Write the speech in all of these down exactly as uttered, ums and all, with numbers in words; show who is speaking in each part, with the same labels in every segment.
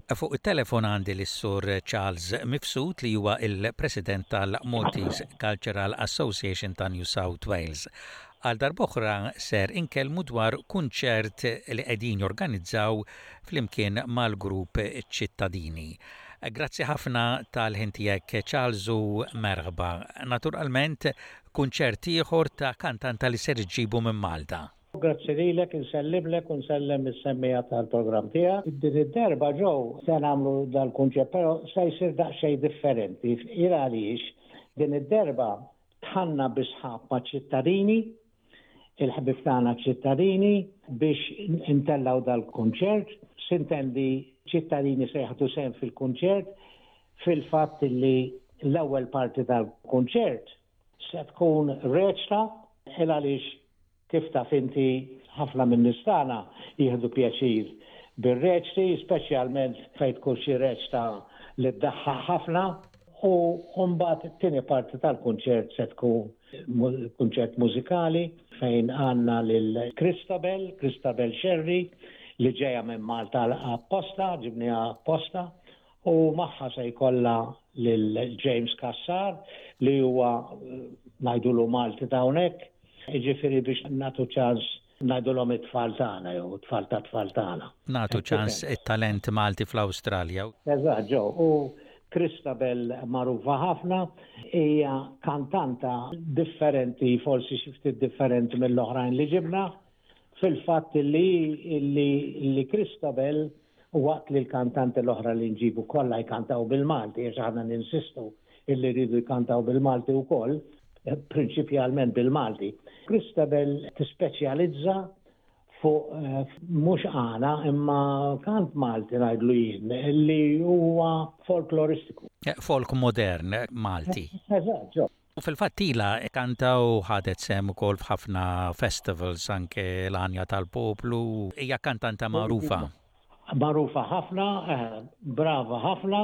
Speaker 1: Fuq it-telefon għandi lis-Sur Charles Mifsud, li huwa il-President tal-Maltese Cultural Association ta' New South Wales. Għal darb'oħra ser inkellmu dwar kunċert li qegħdin jorganizzaw flimkien mal-grupp Ċittadini. Grazzi ħafna tal-ħin tiegħek, Charles, u merħba. Naturalment, kunċert ieħor ta' kantanta li ser iġibu minn Malta.
Speaker 2: Grazzi lilek, insellimlek u nsellem is-semmiegħa tal-programm tiegħek. Din id-darba ġew se nagħmlu dal-kunċert, però se jsir daqsxejn differenti. Għaliex din id-darba dħalna bi sħab ma' Ċittadini, il-ħbieb tagħna Ċittadini, biex intellaw dal-kunċert. S'intendi, Ċittadini se jieħdu sehem fil-kunċert, fil-fatt li l-ewwel parti tal-kunċert se tkun reċta, għaliex kif taf inti, ħafna minn nies tagħna jieħdu pjaċir bir-reċti, speċjalment fejn tkun xi reċta li ddaħħak ħafna, u mbagħad it-tieni parti tal-kunċert se tkun kunċert mużikali fejn għandna lil Christabel, Christabel Sherry, li ġeja minn Malta apposta, ġibnieha apposta, u magħha se jkollha lil James Cassar, li huwa, ngħidulu, Malti ta' hawnhekk, jiġifieri biex nagħtu ċans, ngħidulhom, it-tfal tagħna jew tfal ta' tfal tagħna.
Speaker 1: Nagħtu ċans it-talent Malti fl-Awstralja.
Speaker 2: Eżatt, ġo, u Christabel magħrufa ħafna, hija kantanta differenti, forsi xi ftit differenti mill-oħrajn li ġibna, fil-fatt li li li Christabel, waqt li l-kantanti l-oħra li nġibu kollha jkantaw bil-Malti, għax aħna ninsistu illi rridu jkantaw bil-Malti wkoll, prinċipjalment bil-Malti. Christabel tispeċjalizza fuq eh, mhux għana imma kant Malti, ngħidlu jien, li huwa folkloristiku.
Speaker 1: Eh, folk modern Malti.
Speaker 2: Eżatt, ġo.
Speaker 1: U fil-fatt ilha tkanta u ħadet sehem ukoll f'ħafna festivals, anke l-Għanja tal-Poplu, hija kantanta magħrufa.
Speaker 2: Magħrufa ħafna, eh, brava ħafna,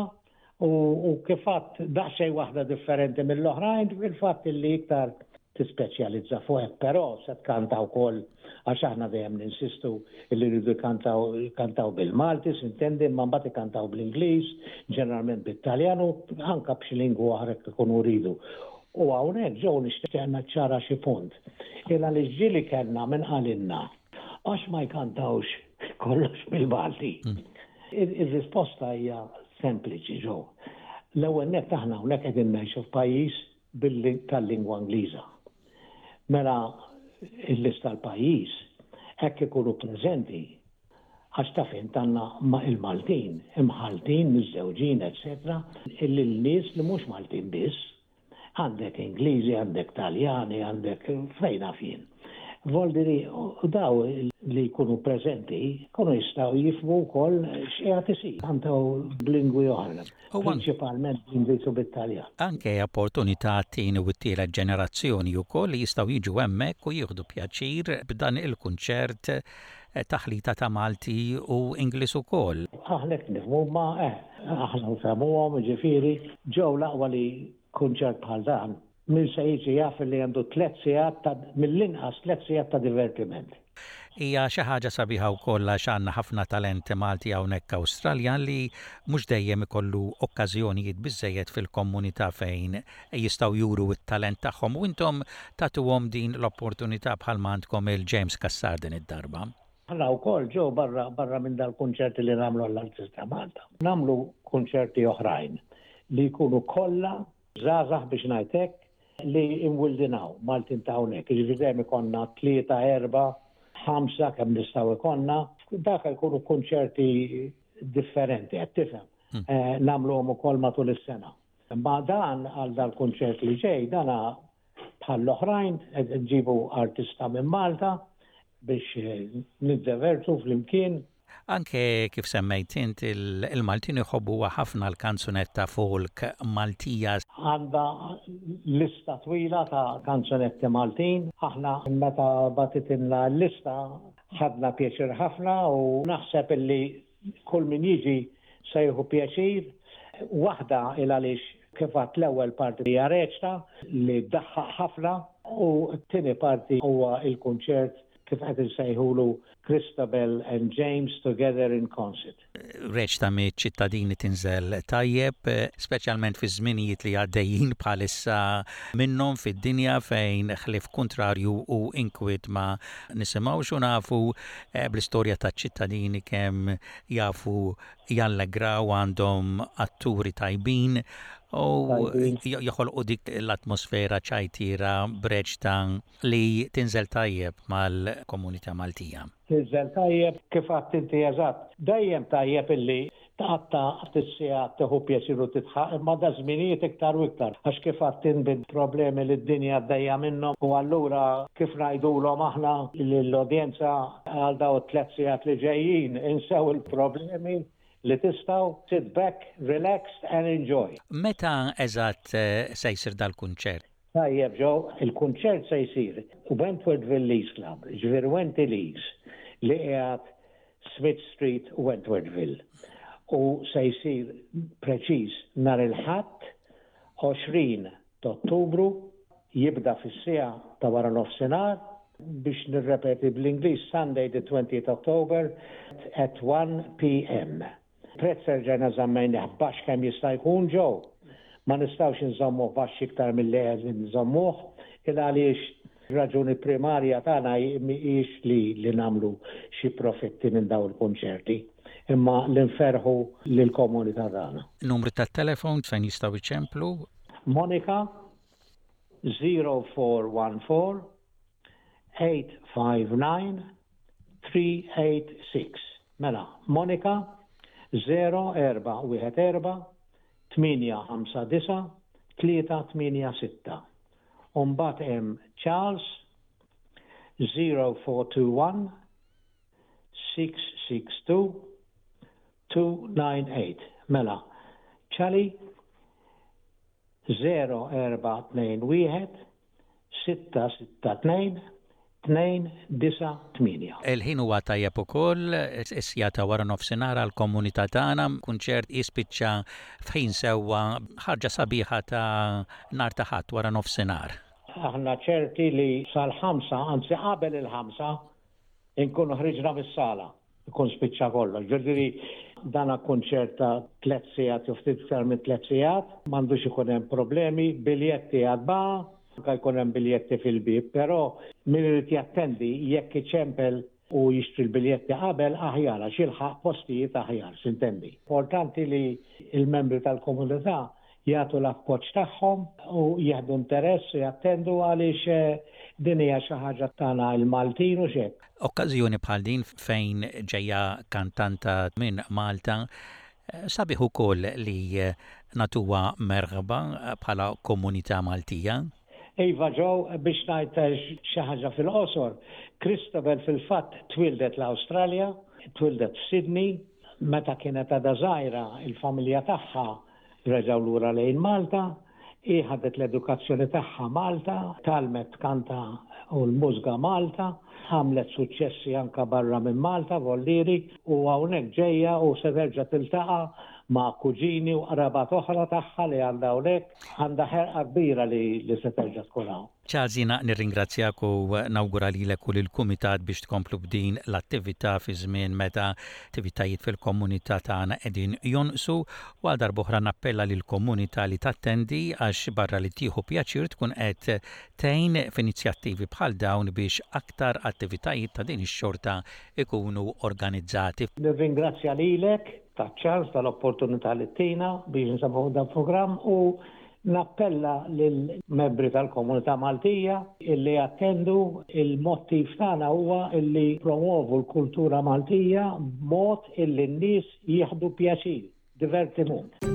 Speaker 2: u, u kif għedt, daqsxejn waħda differenti mill-oħrajn, fil-fatt li iktar tispeċjalizza fuq hekk, però se tkanta wkoll, għax aħna dejjem ninsistu li rridu jkantaw kantaw bil-Malti, s'intendi, imma mbagħad ikantaw bl-Ingliż, ġeneralment bit-Taljan u anke b'xi lingwa oħra jekk ikunu rridu. U hawnhekk ġew nixtieq naċċara xi punt. Illa li ġieli kellna minn qalilna għax ma jkantawx kollox bil-Malti. Ir-risposta hija sempliċi, ġew. L-ewwel nett, aħna hawnhekk qegħdin ngħixu f'pajjiż billi tal-lingwa Ingliża. Mela il-lista tal-pajjiż hekk ikunu preżenti, għax taf int għandna ma il-Maltin, imħaltin, miżżewġin, eċetera, illi l-nies li mhux Maltin biss, għandek Ingliżi, għandek Taljani, għandek fejn naf jien. Voldiri, u daw li jkunu preżenti, kunu jistgħu jifhmu wkoll x'qiegħed isir. Kantaw b'lingwi oħra,
Speaker 1: U an-
Speaker 2: prinċipalment bl-Ingliż u bit-Taljan.
Speaker 1: Anke opportunità t-tieni u t-tielet ġenerazzjoni wkoll li jistgħu jiġu hemmhekk u jieħdu pjaċir b'dan il-kunċert, eh, taħlita ta' Malti u Ingliż ukoll.
Speaker 2: Aħna hekk nifhmu, ma eh, aħna nfehmuhom, ġifieri, ġew l-aqwa li kunċert bħal dan, min se jiġi jaf li għandu tliet sigħat ta' mill-inqas tliet sigħat ta' divertiment.
Speaker 1: Hija xi ħaġa sabiħa wkoll għax għandna ħafna talent Malti hawnhekk Awstralja li mhux dejjem ikollu okkażjonijiet biżejjed fil-komunità fejn jistgħu juru t-talent tagħhom, u intom tagħtuhom din l-opportunità bħalma għandkom il-James Cassar din id-darba.
Speaker 2: Aħna wkoll ġew barra barra minn dal-kunċerti li nagħmlu għall-artista Malta, nagħmlu kunċerti oħrajn li jkunu kollha żgħażagħ, biex ngħidlek, li imwildin hawn, Maltin ta' hawnhekk. Jiġifieri dejjem ikollna tlieta, erba', ħamsa, kemm nistgħu ikollna. Dak jkunu kunċerti differenti, qed tifhem. Eh, Nagħmluhom ukoll matul is-sena. Ma dan għal dal-kunċert li ġej, dana bħall-oħrajn, qed nġibu artista minn Malta biex eh, niddevertu flimkien.
Speaker 1: Anke kif semmejt int, il- il-Maltin iħobbu ħafna l-kanzunetta folk Maltija.
Speaker 2: Għandha lista twila ta' kanzunetti Maltin. Aħna meta bagħtitilna l-lista ħadna pjaċir ħafna u naħseb illi kull min jiġi se jieħu pjaċir. Waħda il għaliex kif għedt, l-ewwel parti hija reċta li ddaħħak ħafna u t-tieni parti huwa il-kunċert. kif qed insejħulu Christabel and James Together in Concert.
Speaker 1: Reċta miċ-ċittadini tinżel tajjeb, speċjalment fi żminijiet li għaddejjin bħalissa minnhom fid-dinja fejn ħlief kuntrarju u inkwiet ma nisimgħux u nafu eh, bl-istorja taċ-ċittadini kemm jafu jallegraw, għandhom atturi tajbin u joħolqu dik l-atmosfera ċajtira b'reċta li tinżel tajjeb mal-komunità Maltija.
Speaker 2: Tinżel tajjeb, kif għedt inti eżatt. Dejjem tajjeb illi tqatta' ftit sigħat tieħu pjaċir u tidħaq, imma da żminijiet iktar u iktar. Għax kif għedt int bil-problemi li d-dinja għaddejja minnhom u allura kif ngħidulhom aħna l-udjenza għal daw tliet sigħat li ġejjin insew il-problemi li tistgħu, sit back, relax and enjoy.
Speaker 1: Meta eżatt eh, se jsir dal-kunċert?
Speaker 2: Tajjeb Joe, il-kunċert se jsir Wentworthville Leagues Club, ġifieri Wenty Leagues, li qiegħed Smith Street, Wentworthville. U se jsir preċiż nhar il-Ħadd għoxrin ta' Ottubru, jibda fis-siegħa ta' wara nofsinhar, biex nirrepeti bl-Ingliż, Sunday the twentieth October at one p m. Prezz erġajna żammejnieh baxx kemm jista' jkun, Joe. Ma nistgħux nżommuh baxx iktar milli qed nżommuh, il għaliex raġuni primarja tagħna mhijiex li li nagħmlu xi profitti minn dawn il-konċerti, imma li nferħu lill-komunità tagħna.
Speaker 1: Numru tat-telefon fejn jistgħu jċemplu?
Speaker 2: Monica zero four one four eight five nine three eight six. Mela, Monica zero erba' wieħed erba' tmienja ħamsa disa' tlieta tmienja sitta. Umbagħad hemm Charles zero four two one six six two two nine eight. Mela, Charlie zero erba' tnejn wieħed sitta sitta tnejn tnejn disa' tmienja.
Speaker 1: Il-ħin huwa tajjeb ukoll, is-siegħa ta' wara nofsinhar għall-komunità tagħna, kunċert jispiċċa f'ħin sewwa, ħarġa sabiħa ta' nhar ta' Ħadd wara nofsinhar.
Speaker 2: Aħna ċerti li sal-ħamsa, anzi qabel il-ħamsa, inkunu ħriġna mis-sala, ikun spiċċa kollox. Ġifieri dana kunċert ta' tliet sigħat jew ftit iktar minn tliet sigħat, m'għandux ikun hemm problemi, biljetti għad baqa', anka jkun hemm biljetti fil-bib, però min irid jattendi, jekk iċempel u jixtri l-biljetti qabel aħjar għax jilħaq postijiet aħjar, s'intendi. Importanti li il-membri tal-komunità jagħtu l-appoġġ tagħhom u jieħdu interess u jattendu għaliex eh, din hija xi ħaġa tagħna il-Maltin u xek.
Speaker 1: Okkażjoni bħal din fejn ġejja kantanta minn Malta, eh, sabiħ ukoll li eh, nagħtuha merħba bħala komunità Maltija.
Speaker 2: Iva Joe, biex ngħid xi ħaġa fil-qosor, Christabel fil-fatt twildet l-Awstralja, twildet f'Sydney, meta kienet għadha żgħira il-familja tagħha reġgħu lura lejn Malta, hi ħadet l-edukazzjoni tagħha Malta, tgħallmet tkanta u l-mużika Malta, għamlet suċċessi anka barra minn Malta, vollieri, u hawnhekk ġejja u se terġa' tiltaqa' ma' kuġini u qrabat oħra tagħha li għandha hawnhekk, għandha ħerqa kbira li, li se terġa' tkun hawn.
Speaker 1: Charles, jiena nirringrazzjak u nawgura lilek u lill-kumitat biex tkomplu b'din l-attività fi żmien meta attivitajiet fil-komunità tagħna qegħdin jonqsu u għal darb'oħra nappella lill-komunità li tattendi għax barra li tieħu pjaċir tkun qed tgħin f'inizjattivi bħal dawn biex aktar attivitajiet ta' din ix-xorta ikunu organizzati.
Speaker 2: Nirringrazzja lilek taċ-ċans tal-opportunità li tina biex nsabu dan programm u nappella lill-membri tal-komunità Maltija illi attendu. Il-mottiv tagħna huwa illi nippromwovu l-kultura Maltija b'mod illi n-nies jieħdu pjaċir, divertiment.